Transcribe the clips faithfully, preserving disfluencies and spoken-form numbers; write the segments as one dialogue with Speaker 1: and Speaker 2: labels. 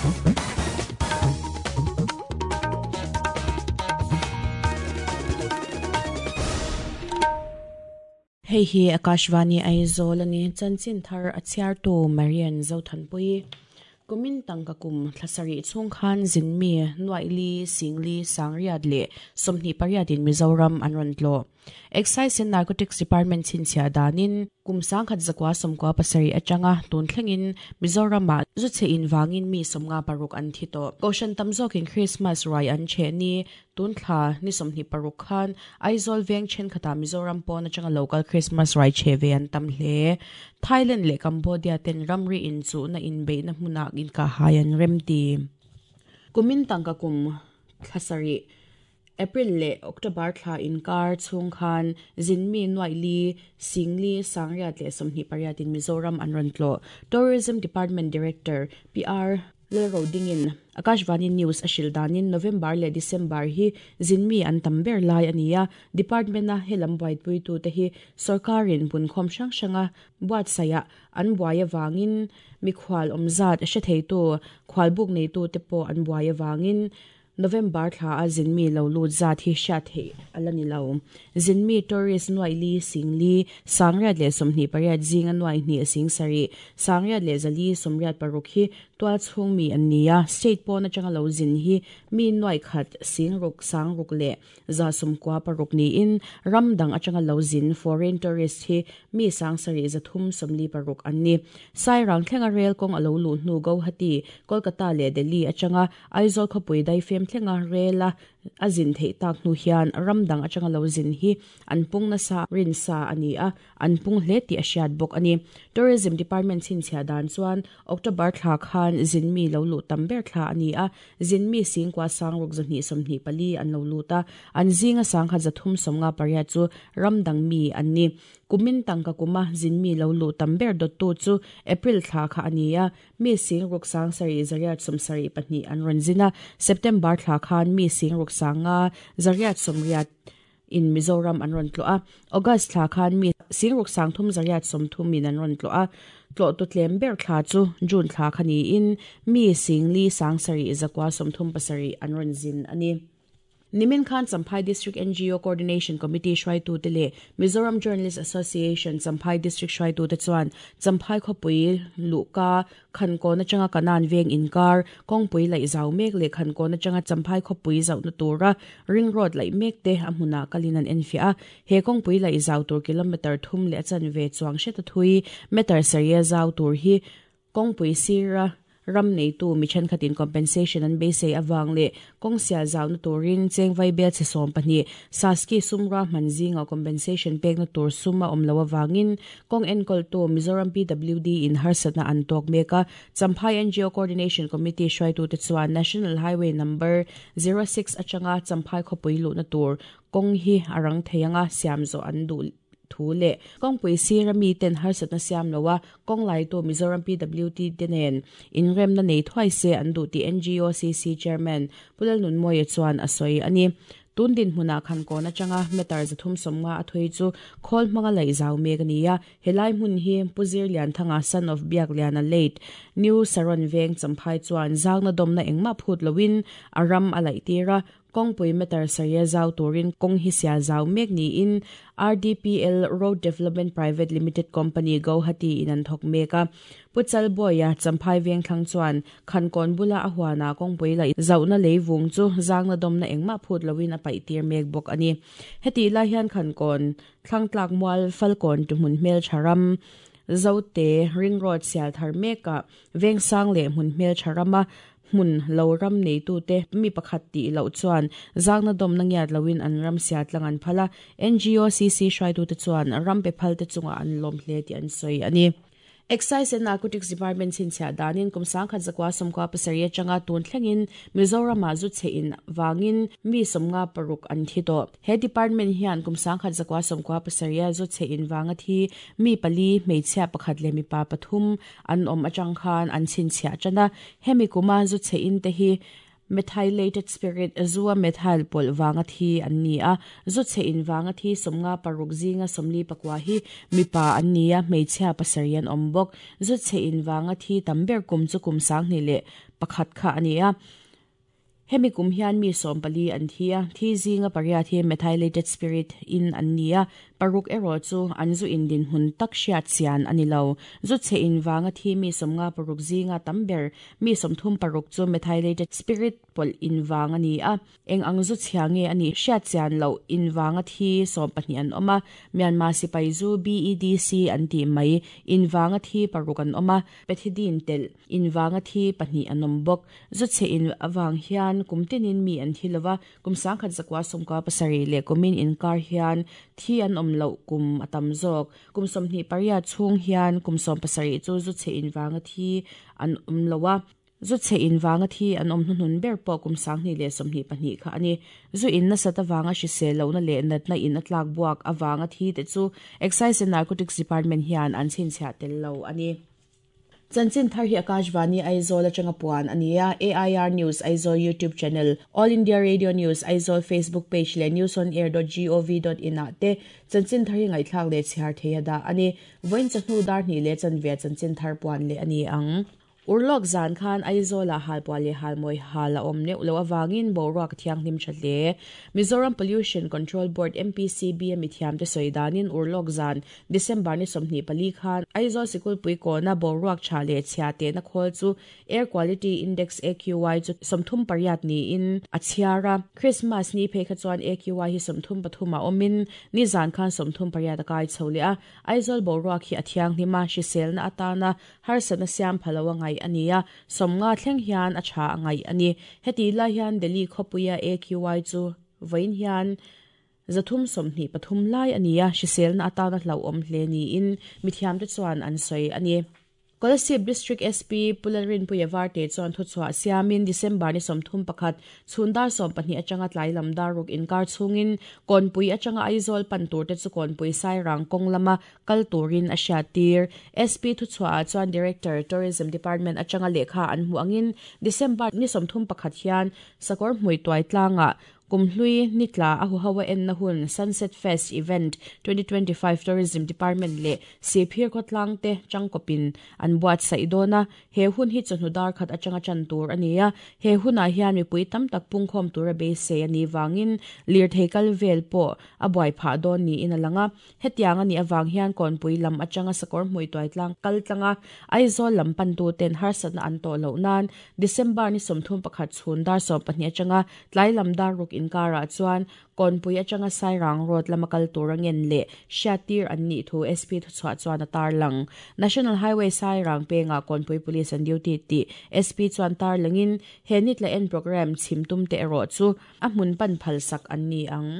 Speaker 1: Hei hi Akashvani Aizawl ani chanchin thar a chhiartu Marian Zothanpui kumin tangka kum thlasari chung khan zinmi nuaili singli sangriat le somni pariat in Mizoram an ron tlo Excise and Narcotics Department chinchia danin kum sangkhat zakwa somkwa pasari atanga tun thlengin Mizoram ma zuche in wangin mi somnga paruk an thi to koshan tamzok in Christmas rai an che ni tun thla ni somni paruk khan Aizawl veng chen khata Mizoram pon atanga local Christmas rai che ve an tam hle Thailand le Cambodia ten ramri in chu na in be na hmuna in ka hayan remti kumin tangka kum thlasari April le October thla in kar chung khan zinmi nuaili singli sangriat le somni pariat in Mizoram an ron tlo Tourism Department Director P R Lelrodingin Akashvani News ashil danin November le December hi zinmi an tamber lai ania department na helam white pui tu te hi sarkarin bun khom sang sanga buat saya an buaya wangin mikhwal omzat she thei tu khwal buk nei tu te po an buaya wangin November thla a zinmi lo lut zat hi sha the alani lo zinmi tourist nuaili singli sangriat le somni pariat zinga nuai ni sing sari sangriat le zali somriat paruk hi twal chung mi ania state pon atanga lo zin hi mi nuai khat singruk sangruk le za somkwa paruk ni in ramdang atanga lo zin foreign tourist hi mi sangsari zathum somli paruk anni sairang thlenga rail kong alo lu hnu Guwahati Kolkata le Delhi atanga Aizawl khopui dai fem thlenga rela azin thei tak nu hian ramdang atanga lo zin hi an pung na sa rin sa ani a an pung hle ti a hriat bawk ani Tourism Department chin chhia dan chuan October thla khan zinmi lo lu tamber thla ani a zinmi singkwa sangruk zahni somni pali an lo lu ta an zinga sangkha zathum somnga pariat chu ramdang mi anni kumin tangka kuma zinmi lo lu tamber dot tu chu April thla kha ani a mi singruk sang sari zariat somsari pahnih an ron zina September thla khan mi singruk sanga zariat somriat in Mizoram an ron tlo a August thla khan mi singruk sang thum zariat somthum in an ron tlo a tlo tu tlem ber thla chu June thla khani in mi singli sangsari zakwa somthum pasari an ron zin ani Nimin Khan Champhai District N G O Coordination Committee Shwaitu tele Mizoram Journalist Association Champhai District Shwaitu te chuan Champhai khopui luka khanko na changa kanan veng inkar kongpui lai zau mek le khanko na changa Champhai khopui zau na tura ring road lai mek te amhuna kalinan enfia he kongpui lai zau tur kilometer thum le chan ve chuang shet thui meter saria zau tur hi kongpui sira ram nei tu mi chen khatin compensation an be sei awang le kongsia zau na turin chengwai bel che som pahnih saski sumra manzinga compensation pek na tur suma omlo awangin kong enkol tu Mizoram P W D in harsatna an tok meka Champhai N G O Coordination Committee hruai tu te chuan National Highway number zero six atanga Champhai khopui lu na tur kong hi arang theianga siamzo an du thu le kongpui sirami ten harsatna siam lowa konglai to Mizoram P W D tenen inrem na nei thuai se an du ti N G O C C chairman Pulal Nunmoya chuan asoi ani tundin hmuna khan ko na changa meter zathum somnga athui chu khol hmanga lai zau mek ania helai hmun hi Puzir Lian Thanga son of Biak Liana late New Saron Veng Champhai chuan zangna domna engma phut lowin aram alai tira kongpui meter saria zau turin kong hi sia zau mek ni in R D P L Road Development Private Limited Company Guwahati in an thok meka Puchal boya Champhai veng thlang chuan khankon bula a huana kongpui lai zauna leivung chu zangna domna engma phut lowin a pai tir mek bok ani heti la hian khankon thlangtlak mual falkon tu hmun hmel tharam zote ring road sial thar meka veng sang le hmun hmel tharama mun lo ram nei tu te mi pakhat ti lo chuan zangna dom na ngiat lowin an ram sia tlang an phala N G O C C hrai tu te chuan ram pe phal te chunga an lom hle ti an soi ani Excise and Narcotics Department chin chhia danin kum sangkhat zakwa somkwa pasaria changa tun thlengin Mizoram a zu che in wangin mi somnga paruk an thi to he department hian kum sangkhat zakwa somkwa pasaria zu che in wanga thi mi pali hmeichhia pakhat le mi pa pathum an om atang khan an chin chhia chana hemi kuma zu che in te hi Methylated spirit zua methyl pol wanga thi an ni a zu che in wanga thi somnga paruk zinga somli pakwa hi mipa an nia hmeichhia pasarian ombok zu che in wanga thi tamber kum chu kum sang ni le pakhat kha ania hemi kum hian mi som pali an thia thi zinga paria thi methylated spirit in an nia paruk ero chu anzu indin hun tak hriat chian anilo zu che in wanga thi mi somnga paruk zinga tamber mi somthum paruk chu methylated spirit pol in wanga ni a eng ang zu chiange ani hriat chian lo in wanga thi som pahnih an oma Myanmar sipai zu B E D C an ti mai in wanga thi paruk an oma pethidin tel in wanga thi pahnih an om bok zu che in awang hian kumtinin mi an thilowa kumsang khat zakwa somka pasari le kumin in kar hian thi an om lo kum atam zok kum somni paria chung hian kum som pasari chu zu che in wanga thi an om lowa zu che in wanga thi an om hnun ber po kum sang ni le somni pahnih kha ani zu in na sata wanga shi se lo na le nat na in atlak buak awanga thi te chu Excise and Narcotics Department hian an chin chha tel lo ani Chanchin thar hi Akashvani Aizawl atanga puan ania A I R News Aizawl YouTube channel All India Radio News Aizawl Facebook page le news on air dot gov dot in ate chanchin thar hi ngaithlak le chhiar theia da ani voin chahnu dar ni le chanve chanchin thar puan le ani ang Urlok zan khan Aizawl a halpua le halmoi hala om ne ulo awangin boruak thiang hlim thatle Mizoram Pollution Control Board M P C B mi thiam te soidanin urlok zan December ni somni pali khan Aizawl sikul pui ko na boruak thale chhia te na khol chu Air Quality Index A Q I chu somthum pariat ni in achiara Christmas ni phe kha chuan A Q I hi somthum pathuma omin ni zan khan somthum pariat kai chholea Aizawl boruak hi athiang hlima hrisel na atana harsana siam phalawa ngai ania somnga thleng hian a tha angai ani heti la hian Delhi khopuia A Q I chu vein hian zathum somhni pathum lai ania hrisel na atana hlo om hle ni in mithiam te chuan an soi ani Kolasib District S P Pularin Puyavarte chuan thu chhuah siamin December ni somthum pakhat chhundar som pahnih atanga tlai lam dar ruk inkar chungin Kawnpui atanga Aizawl pan tur te chu Kawnpui Sairang kawng lama kal turin a hriattir S P thu chhuah chuan Director Tourism Department atanga lehkha an hmu angin December ni somthum pakhat hian sakawr hmui tuai tlanga Kumhlui nitla a huhawa en na hun Sunset Fest Event twenty twenty-five Tourism Department le Sephir khawtlang te changkawpin an buat saidona he hun hi chawhnu dar khat atanga chan tur ania he huna hian mipui tam tak pungkhawm tura beisei ani wangin lirthei kal vel pawh a buai phah dawn ni in alanga hetiang ani awang hian Kawnpui lam atanga sakawr hmui tuai tlang kal tlanga Aizawl lam pan tu ten harsatna an tawh loh nan December ni sawmthum pakhat chhun dar sawm pahnih atanga tlai lam dar ruk inkara chuan Kawnpui atanga Sairang road lama kal tur angen le hriattir an nih thu S P thu chhuah chuan a tar lang National Highway Sairang penga Kawnpui Police an duty ti S P chuan tar langin he nitla en program chhimtum te erawh chu a hmun pan phal sak an ni ang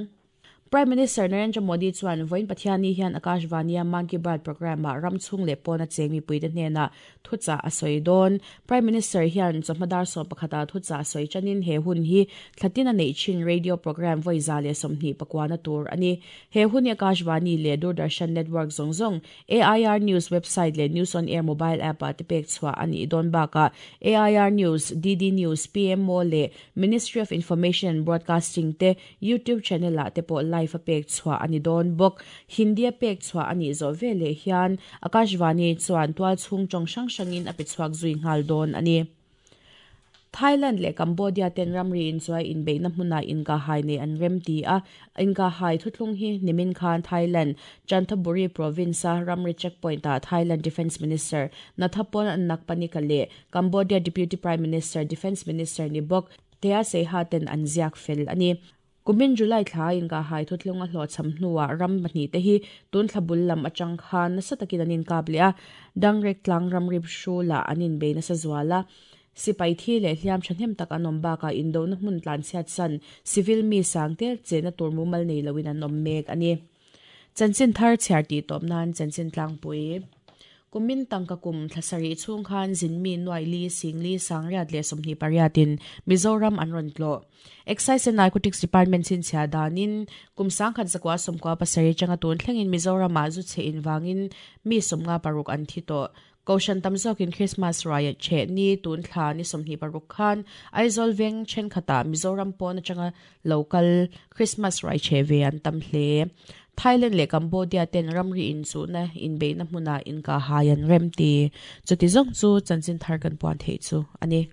Speaker 1: Prime Minister Narendra Modi chuan voin Pathiani hian Akashvani Mann Ki Baat program a ramchhung le pawna chengmi puite hnena thucha a sawi dawn Prime Minister hian chawhmadar sawm pakhata thucha a sawi chanin he hun hi thlatin a nei chin radio program voi za le sawmhnih pakwana tur ani he hun hi Akashvani le Doordarshan Network zawng zawng A I R News website le News on Air mobile app a te pek chhuah ani dawn baka A I R News D D News P M O le Ministry of Information and Broadcasting te YouTube channel a te pawh live a pek chhuah ani dawn bawk Hindi a pek chhuah ani zo vele hian Akashvani chuan tual chhung chong hrang hrangin a pe chhuak zui nghal dawn ani Thailand le Cambodia ten ramri in chuai in beina hmuna inka hai nei an rem ti a inka hai thuthlung hi nimin khan Thailand Chanthaburi province a ramri checkpoint a Thailand Defense Minister Nathapon Nakpanika le Cambodia Deputy Prime Minister Defense Minister ni bawk Tea Seiha ten an ziak fel ani Kumin July thla inka hai thuthlung a hlo cham hnuwa ram pahnih te hi tun thlabul lam atang khan nasa takin an inkap leh a dangrek tlang ramri hrula an inbei nasa zuala sipai thi le hliam thahnem tak an awm bakah indona hmun tlan chhiat san civil mi sang tel chena tur mumal nei loin an awm mek ani chanchin thar chhiar tih tawp nan chanchin tlangpui Kumin tangka kum thlasari chung khan zinmi nuai li singli sangriat le somni pariatin Mizoram an ron tlo Excise and Narcotics Department chin chhia danin kum sangkhat zakwa somkwa pasari changa tun thlengin Mizoram a zu che in wangin mi somnga paruk an thi to Koshan tamzokin Christmas riot che ni tun thla ni somni paruk khan Aizawl veng then khata Mizoram pon atanga local Christmas rai che ve an tam hle. Thailand le Cambodia ten ramri in chu na in be na hmuna in ka hayan rem ti chuti zong chu chanchin thar kan puan thei chu ani.